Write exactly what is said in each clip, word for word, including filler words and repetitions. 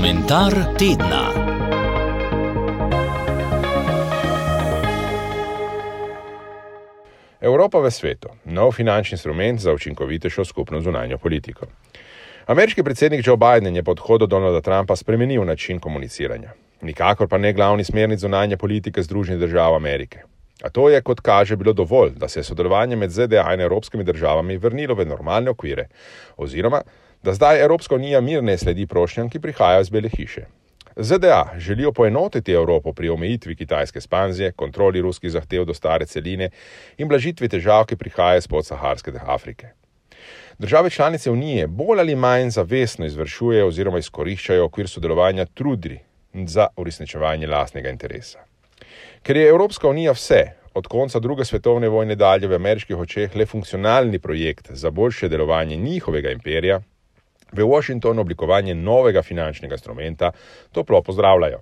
Komentar tedna. Evropa v svetu. Nov finančni instrument za učinkovitejšo skupno zunanjo politiko. Ameriški predsednik Joe Biden je po odhodu Donalda Trumpa spremenil način komuniciranja. Nikakor pa ne glavni smernic zunanje politike Združenih držav Amerike. A to je, kot kaže, bilo dovolj, da se je sodelovanje med Z D A in evropskimi državami vrnilo v normalne okvire, oziroma da zdaj Evropska unija mirne sledi prošnjam, ki prihajajo iz Bele hiše. Z D A želijo poenotiti Evropo pri omejitvi kitajske ekspanzije, kontroli ruskih zahtev do stare celine in blažitvi težav, ki prihajajo iz podsaharske Afrike. Države članice unije bolj ali manj zavestno izvršujejo oziroma izkoriščajo okvir sodelovanja trudi za uresničevanje lastnega interesa. Ker je Evropska unija vse, od konca druge svetovne vojne dalje v ameriških očeh le funkcionalni projekt za boljše delovanje njihovega imperija, v Washingtonu oblikovanje novega finančnega instrumenta toplo pozdravljajo.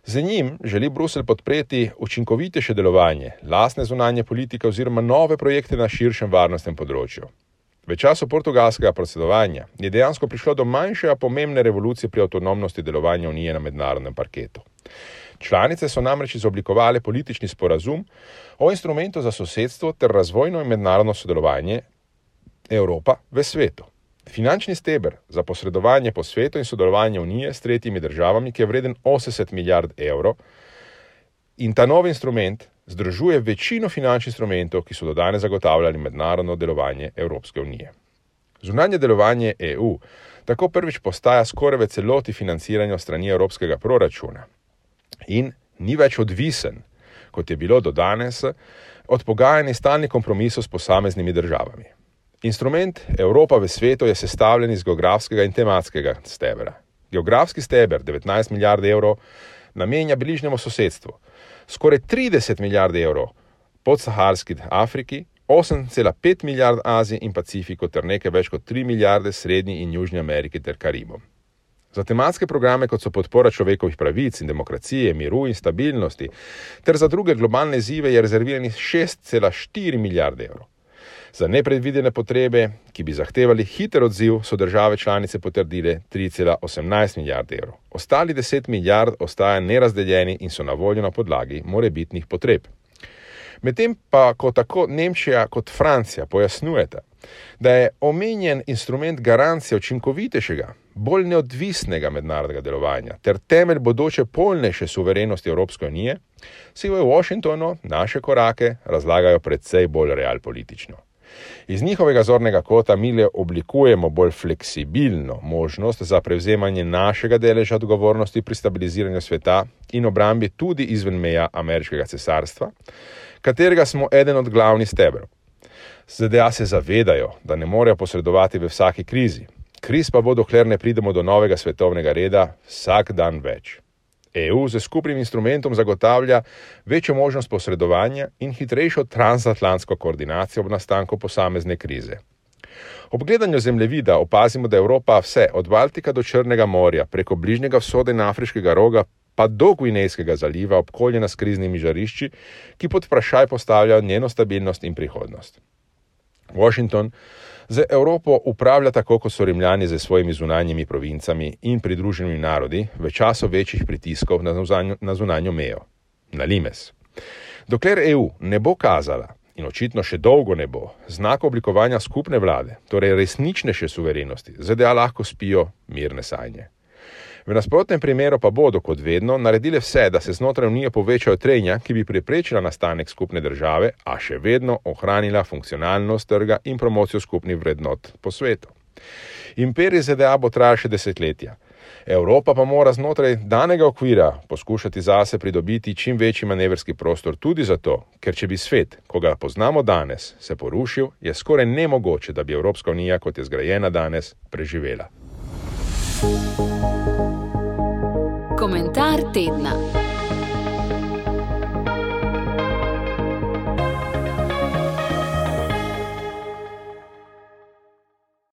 Z njim želi Bruselj podpreti učinkovitejše delovanje, lastne zunanje politike oziroma nove projekte na širšem varnostnem področju. V času portugalskega predsedovanja je dejansko prišlo do manjše, a pomembne revolucije pri avtonomnosti delovanja Unije na mednarodnem parketu. Članice so namreč izoblikovale politični sporazum o instrumentu za sosedstvo ter razvojno in mednarodno sodelovanje Evropa v svetu. Finančni steber za posredovanje po svetu in sodelovanje Unije s tretjimi državami, ki je vreden osemdeset milijard evrov, in ta novi instrument združuje večino finančnih instrumentov, ki so do danes zagotavljali mednarodno delovanje Evropske unije. Zunanje delovanje E U tako prvič postaja skoraj v celoti financiranje strani evropskega proračuna in ni več odvisen, kot je bilo do danes, od pogajanj in stalnih kompromisov s posameznimi državami. Instrument Evropa v svetu je sestavljen iz geografskega in tematskega stebra. Geografski steber, devetnajst milijard evrov, namenja bližnjemu sosedstvu, skoraj trideset milijard evrov podsaharski Afriki, osem cela pet milijard Aziji in Pacifiku ter nekaj več kot tri milijarde Srednji in Južni Ameriki ter Karibom. Za tematske programe, kot so podpora človekovih pravic in demokracije, miru in stabilnosti, ter za druge globalne izzive je rezerviranih šest cela štiri milijarde evrov. Za nepredvidene potrebe, ki bi zahtevali hiter odziv, so države članice potrdile tri cela osemnajst milijard evrov. Ostali deset milijard ostaja nerazdeljeni in so na voljo na podlagi morebitnih potreb. Medtem pa, ko tako Nemčija kot Francija pojasnjujeta, da je omenjen instrument garancija učinkovitejšega, bolj neodvisnega mednarodnega delovanja ter temelj bodoče polnejše suverenosti Evropske unije, si v Washingtonu naše korake razlagajo precej bolj realpolitično. Iz njihovega zornega kota mi le oblikujemo bolj fleksibilno možnost za prevzemanje našega deleža odgovornosti pri stabiliziranju sveta in obrambi tudi izven meja ameriškega cesarstva, katerega smo eden od glavnih stebrov. Z D A se zavedajo, da ne morejo posredovati v vsaki krizi. Kriz pa bo, dokler ne pridemo do novega svetovnega reda, vsak dan več. E U z skupnim instrumentom zagotavlja večjo možnost posredovanja in hitrejšo transatlantsko koordinacijo ob nastanku posamezne krize. Ob gledanju zemljevida opazimo, da Evropa vse od Baltika do Črnega morja, preko Bližnjega vzhoda in Afriškega roga, pa do Gvinejskega zaliva obkoljena s kriznimi žarišči, ki pod vprašaj postavljajo njeno stabilnost in prihodnost. Washington z Evropo upravlja tako, kot so Rimljani z svojimi zunanjimi provincami in pridruženimi narodi v času večjih pritiskov na zunanjo, na zunanjo mejo, na limes. Dokler E U ne bo kazala, in očitno še dolgo ne bo, znaka oblikovanja skupne vlade, torej resničnejše suverenosti, Z D A lahko spijo mirne sanje. V nasprotnem primeru pa bodo, kot vedno, naredile vse, da se znotraj Unije povečajo trenja, ki bi preprečila nastanek skupne države, a še vedno ohranila funkcionalnost trga in promocijo skupnih vrednot po svetu. Imperij Z D A bo trajal še desetletja. Evropa pa mora znotraj danega okvira poskušati zase pridobiti čim večji manevrski prostor tudi zato, ker če bi svet, ko ga poznamo danes, se porušil, je skoraj nemogoče, da bi Evropska unija, kot je zgrajena danes, preživela. Komentar tedna.